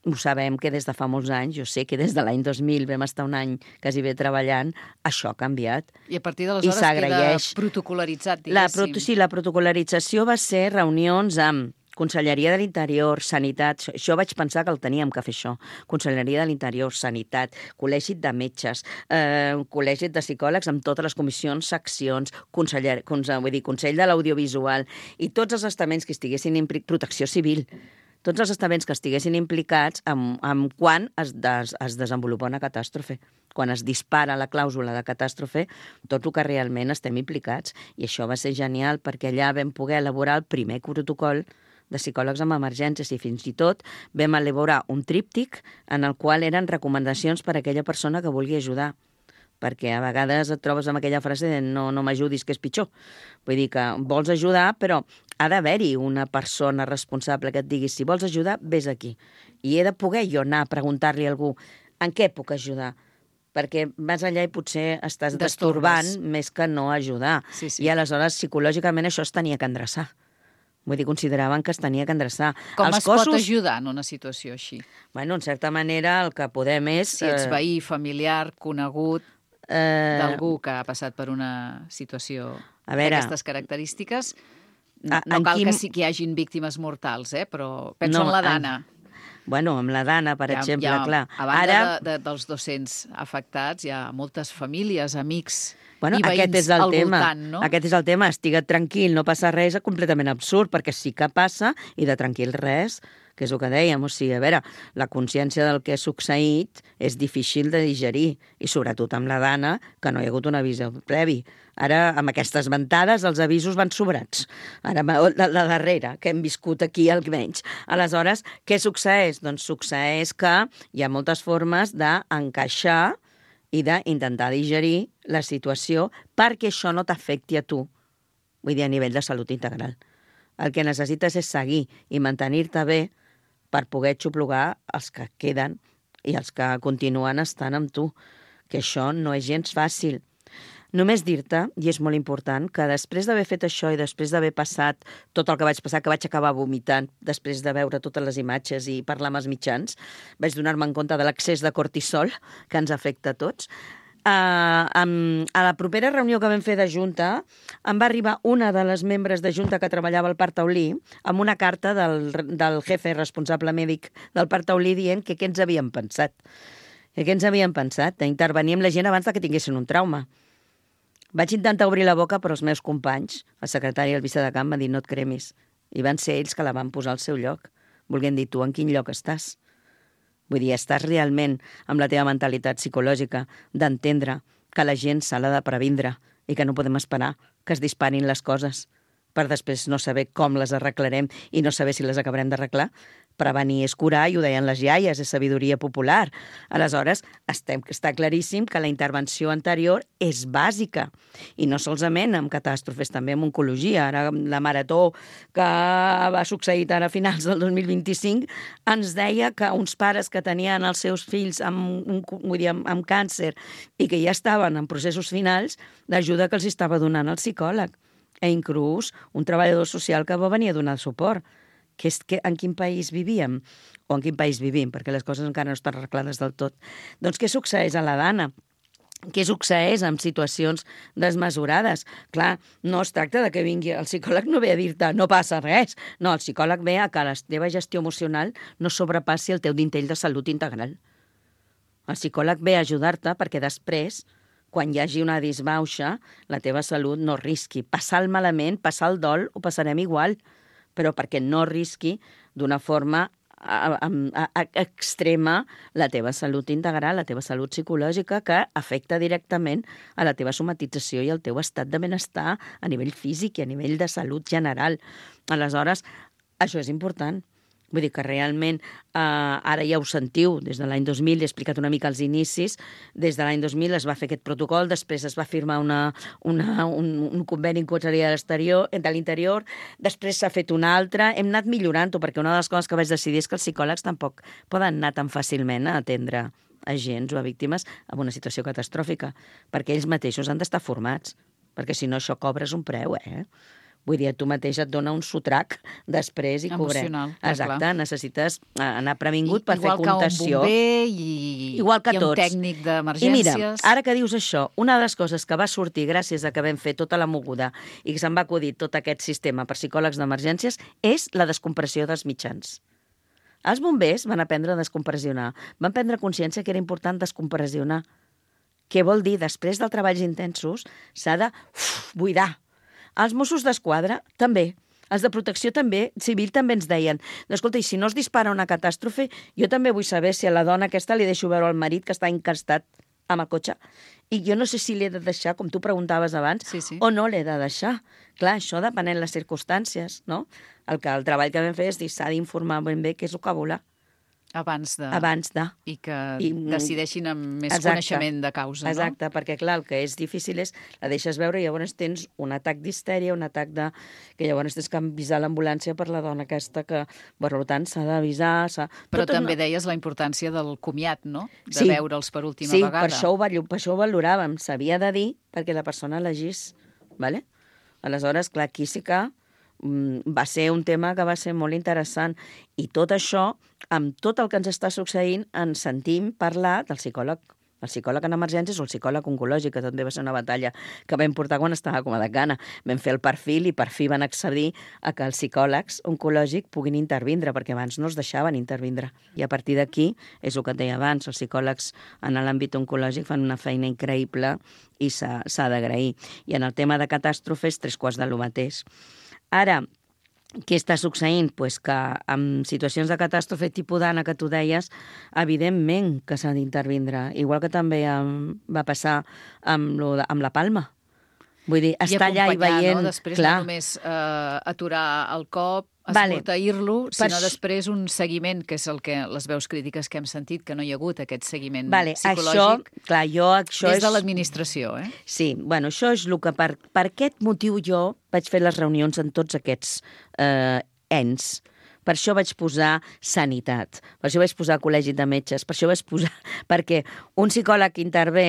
ho sabem que des de fa molts anys, jo sé que des de l'any dos mil vam estar un any quasi bé treballant, això ha canviat. I a partir d'aleshores queda protocolaritzat, diguéssim. La, proto, sí, la protocolarització va ser reunions amb Conselleria de l'Interior, Sanitat, això vaig pensar que el teníem que fer això, Conselleria de l'Interior, Sanitat, Col·legi de Metges, eh, Col·legi de Psicòlegs amb totes les comissions, seccions, conseller, cons, vull dir, Consell de l'Audiovisual i tots els estaments que estiguessin implicats, Protecció Civil, tots els estaments que estiguessin implicats en, en quan es, des, es desenvolupa una catàstrofe. Quan es dispara la clàusula de catàstrofe, tot el que realment estem implicats. I això va ser genial perquè allà vam poder elaborar el primer protocol de psicòlegs amb emergències i fins i tot vam elaborar un tríptic en el qual eren recomanacions per a aquella persona que vulgui ajudar. Perquè a vegades et trobes amb aquella frase de no, no m'ajudis, que és pitjor. Vull dir que vols ajudar, però ha d'haver-hi una persona responsable que et digui si vols ajudar, vés aquí. I he de poder jo anar a preguntar-li a algú en què puc ajudar, perquè vas allà i potser estàs destorbant més que no ajudar. Sí, sí. I aleshores psicològicament això es tenia que endreçar. Vull dir, consideraven que es tenia que endreçar. Com Els es cossos... pot ajudar en una situació així? Bueno, en certa manera el que podem és... Si ets veí, familiar, conegut, eh... d'algú que ha passat per una situació veure... d'aquestes característiques, no, A, no cal quin... que sí que hi hagin víctimes mortals, eh? Però penso no, en la Dana. En... Bueno, amb la Dana, per hi ha, exemple, hi ha, clar. A banda Ara... de, de, dels dos-cents afectats, hi ha moltes famílies, amics bueno, i veïns aquest és el al tema. voltant, no? Aquest és el tema, estigue't tranquil, no passa res, és completament absurd, perquè sí que passa, i de tranquil res, que és el que dèiem. O sigui, a veure, la consciència del que ha succeït és difícil de digerir, i sobretot amb la Dana, que no hi ha hagut un avís previ. Ara, amb aquestes ventades, els avisos van sobrats. Ara, la, la darrera, que hem viscut aquí almenys. Aleshores, què succeeix? Doncs succeeix que hi ha moltes formes d'encaixar i d'intentar digerir la situació perquè això no t'afecti a tu. Vull dir, a nivell de salut integral. El que necessites és seguir i mantenir-te bé per poder xuplugar els que queden i els que continuen estant amb tu, que això no és gens fàcil. Només dir-te, i és molt important, que després d'haver fet això i després d'haver passat tot el que vaig passar, que vaig acabar vomitant després de veure totes les imatges i parlar amb els mitjans, vaig donar-me en compte de l'excés de cortisol que ens afecta a tots. Uh, um, a la propera reunió que vam fer de Junta em va arribar una de les membres de Junta que treballava al Parc Taulí amb una carta del, del jefe responsable mèdic del Parc Taulí dient que què ens havien pensat. Que què ens havien pensat? D'intervenir amb la gent abans de que tinguessin un trauma. Vaig intentar obrir la boca, però els meus companys, el secretari i el vicedecant, van dir no et cremis. I van ser ells que la van posar al seu lloc. Volguem dir, tu en quin lloc estàs? Vull dir, estàs realment amb la teva mentalitat psicològica d'entendre que la gent se l'ha de previndre i que no podem esperar que es disparin les coses per després no saber com les arreglarem i no saber si les acabarem d'arreglar. Prevenir és curar, i ho deien les iaies, és sabidoria popular. Aleshores, estem, està claríssim que la intervenció anterior és bàsica. I no solament amb catàstrofes, també amb oncologia. Ara, la marató que va succeir ara a finals del dos mil vint-i-cinc ens deia que uns pares que tenien els seus fills amb, vull dir, amb, amb càncer i que ja estaven en processos finals, l'ajuda que els estava donant el psicòleg. E inclús un treballador social que va venir a donar suport. Que és que en quin país vivíem, o en quin país vivim, perquè les coses encara no estan arreglades del tot. Doncs què succeeix a la Dana? Què succeeix en situacions desmesurades? Clar, no es tracta de que vingui el psicòleg, no ve a dir-te no passa res. No, el psicòleg ve a que la teva gestió emocional no sobrepassi el teu dintell de salut integral. El psicòleg ve a ajudar-te perquè després, quan hi hagi una disbauxa, la teva salut no risqui. Passar el malament, passar el dol, ho passarem igual, però perquè no risqui d'una forma a, a, a, extrema la teva salut integral, la teva salut psicològica, que afecta directament a la teva somatització i al teu estat de benestar a nivell físic i a nivell de salut general. Aleshores, això és important. Vull dir que realment, eh, ara ja ho sentiu, des de l'any dos mil, he explicat una mica els inicis, des de l'any dos mil es va fer aquest protocol, després es va firmar una, una, un, un conveni en Conselleria de l'Exterior, de l'Interior, després s'ha fet un altre, hem anat millorant-ho, perquè una de les coses que vaig decidir és que els psicòlegs tampoc poden anar tan fàcilment a atendre agents o a víctimes en una situació catastròfica, perquè ells mateixos han d'estar formats, perquè si no això cobres un preu, eh? Vull dir, tu mateix et dona un sotrac després i cobrem. Emocional, exacte, clar. Necessites anar previngut per fer Igual contenció. Igual que un bomber i, Igual que i un tots. tècnic I d'emergències. mira, ara que dius això, una de les coses que va sortir gràcies a que vam fer tota la moguda i que se'n va acudir tot aquest sistema per psicòlegs d'emergències és la descompressió dels mitjans. Els bombers van aprendre a descompressionar, van prendre consciència que era important descompressionar. Què vol dir? Després dels treballs intensos s'ha de uf, buidar. Els Mossos d'Esquadra també. Els de protecció també, civil també ens deien, escolta, i si no es dispara una catàstrofe, jo també vull saber si a la dona aquesta li deixo veure el marit que està encastat amb el cotxe. I jo no sé si l'he de deixar, com tu preguntaves abans, Sí, sí. o no l'he de deixar. Clar, això depenent les circumstàncies, no? El, que, el treball que vam fer és dir, s'ha d'informar ben bé què és el que volà. Abans de... Abans de. I que I- decideixin amb més Exacte. coneixement de causa, no? Exacte, perquè clar, el que és difícil és la deixes veure i llavors tens un atac d'histèria, un atac de... que llavors tens que avisar l'ambulància per la dona aquesta que, per tant, s'ha d'avisar... s'ha- Però Tot també una... deies la importància del comiat, no? De Sí. veure'ls per última sí, vegada. per això, ho, vallo- per això ho valoràvem. S'havia de dir perquè la persona elegís. ¿Vale? Aleshores, clar, aquí sí que mm, va ser un tema que va ser molt interessant. I tot això, amb tot el que ens està succeint, ens sentim parlar del psicòleg, el psicòleg en emergències o el psicòleg oncològic, que també va ser una batalla que vam portar quan estava com a decana. Vam fer el perfil i per fi van accedir a que els psicòlegs oncològics puguin intervindre, perquè abans no es deixaven intervindre. I a partir d'aquí, és el que et deia abans, els psicòlegs en l'àmbit oncològic fan una feina increïble i s'ha s'ha d'agrair. I en el tema de catàstrofes, tres quarts de lo mateix. Ara, què està succeint? Pues que en situacions de catàstrofe tipus d'Anna que tu deies, evidentment que s'ha d'intervindre, igual que també em, va passar amb, lo de, amb la Palma. Vull dir, estar allà i acompanyar, veient... No? Després clar, no només eh, aturar el cop, Vale. esmorteir-lo, Per sinó això- després un seguiment, que és el que les veus crítiques que hem sentit, que no hi ha hagut aquest seguiment vale, psicològic això, clar, jo, això des és... de l'administració. Eh? Sí, bueno, això és el que per, per aquest motiu jo vaig fer les reunions en tots aquests eh, ens. Per això vaig posar sanitat, per això vaig posar col·legi de metges, per això vaig posar... Perquè un psicòleg intervé,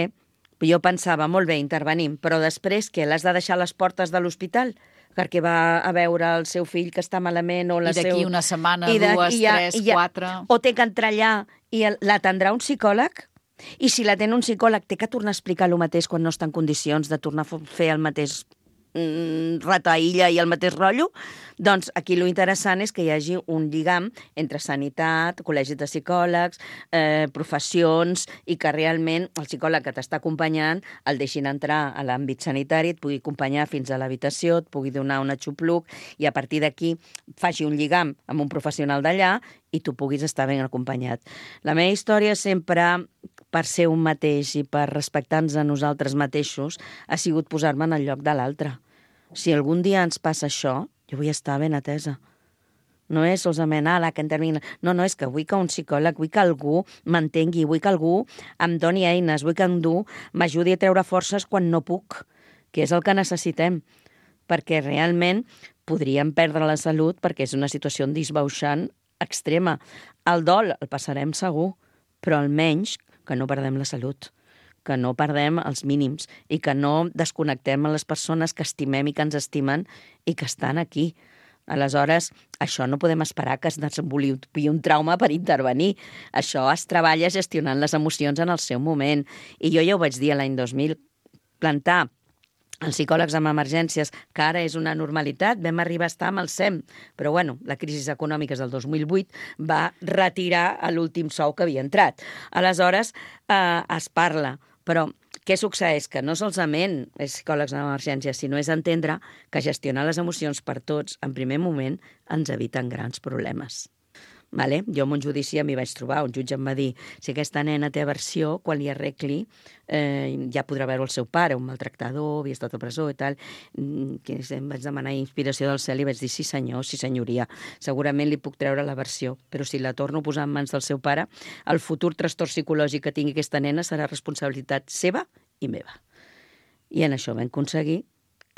jo pensava, molt bé, intervenim, però després què? L'has de deixar a les portes de l'hospital? Perquè va a veure el seu fill que està malament o la I d'aquí seu... una setmana, I de- dues, i ja- tres, i ja- quatre... O té que entrar allà i el- l'atendrà un psicòleg? I si l'atén un psicòleg, té que tornar a explicar el mateix quan no està en condicions de tornar a fer el mateix mm, rataïlla i el mateix rotllo? Doncs aquí lo interessant és que hi hagi un lligam entre sanitat, col·legis de psicòlegs, eh, professions, i que realment el psicòleg que t'està acompanyant el deixin entrar a l'àmbit sanitari, et pugui acompanyar fins a l'habitació, et pugui donar un axopluc i a partir d'aquí faci un lligam amb un professional d'allà i tu puguis estar ben acompanyat. La meva història sempre, per ser un mateix i per respectar-nos a nosaltres mateixos, ha sigut posar-me en el lloc de l'altre. Si algun dia ens passa això, jo vull estar ben atesa. No és solament, ah, la que intervingui. No, no, és que vull que un psicòleg, vull que algú m'entengui, vull que algú em doni eines, vull que algú m'ajudi a treure forces quan no puc, que és el que necessitem, perquè realment podríem perdre la salut perquè és una situació disbauxant extrema. El dol el passarem segur, però almenys que no perdem la salut, que no perdem els mínims i que no desconnectem a les persones que estimem i que ens estimen i que estan aquí. Aleshores, això no podem esperar que es desenvolupi un trauma per intervenir. Això es treballa gestionant les emocions en el seu moment. I jo ja ho vaig dir l'any dos mil, plantar els psicòlegs amb emergències, que ara és una normalitat, vam arribar a estar amb el S E M, però bueno, la crisi econòmica del dos mil vuit va retirar l'últim sou que havia entrat. Aleshores, eh, es parla, però què succeeix? Que no solament és psicòlegs amb emergències, sinó és entendre que gestionar les emocions per tots, en primer moment, ens eviten grans problemes. Vale? Jo en un judici m'hi vaig trobar, un jutge em va dir si aquesta nena té aversió, quan li arregli eh, ja podrà veure el seu pare, un maltractador, havia estat a presó i tal. Que em vaig demanar inspiració del cel i vaig dir sí senyor, sí senyoria, segurament li puc treure l'aversió, però si la torno a posar en mans del seu pare, el futur trastorn psicològic que tingui aquesta nena serà responsabilitat seva i meva. I en això vam aconseguir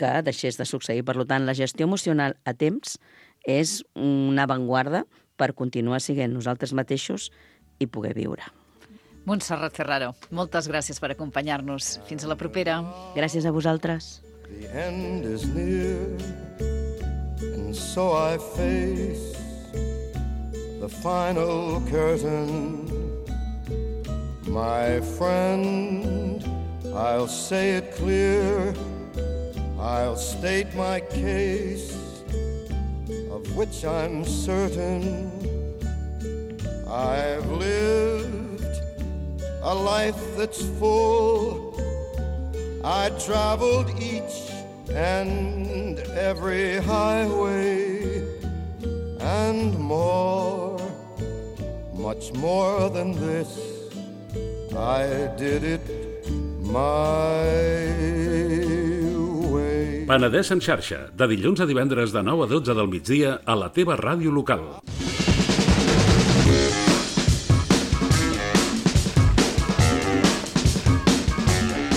que deixés de succeir. Per tant, la gestió emocional a temps és una avantguarda per continuar sent nosaltres mateixos i poder viure. Montserrat Ferraro, moltes gràcies per acompanyar-nos. Fins a la propera. Gràcies a vosaltres. The end is near, and so I face the final curtain. My friend, I'll say it clear, I'll state my case, of which I'm certain. I've lived a life that's full. I traveled each and every highway and more, much more than this. I did it my way. Penedès en xarxa, de dilluns a divendres de nou a dotze del migdia a la teva ràdio local.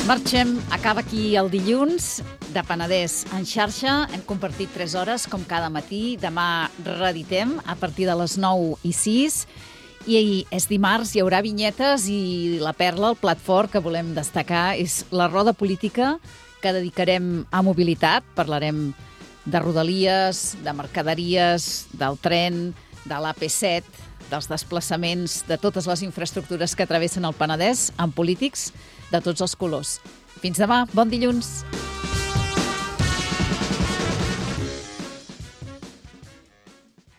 Marxem, acaba aquí el dilluns de Penedès en xarxa. Hem compartit tres hores, com cada matí. Demà reeditem a partir de les nou i sis. I és dimarts, hi haurà vinyetes i la perla, el plat fort que volem destacar, és la roda política que dedicarem a mobilitat. Parlarem de rodalies, de mercaderies, del tren, de l'A P set, dels desplaçaments, de totes les infraestructures que travessen el Penedès, amb polítics de tots els colors. Fins demà, bon dilluns!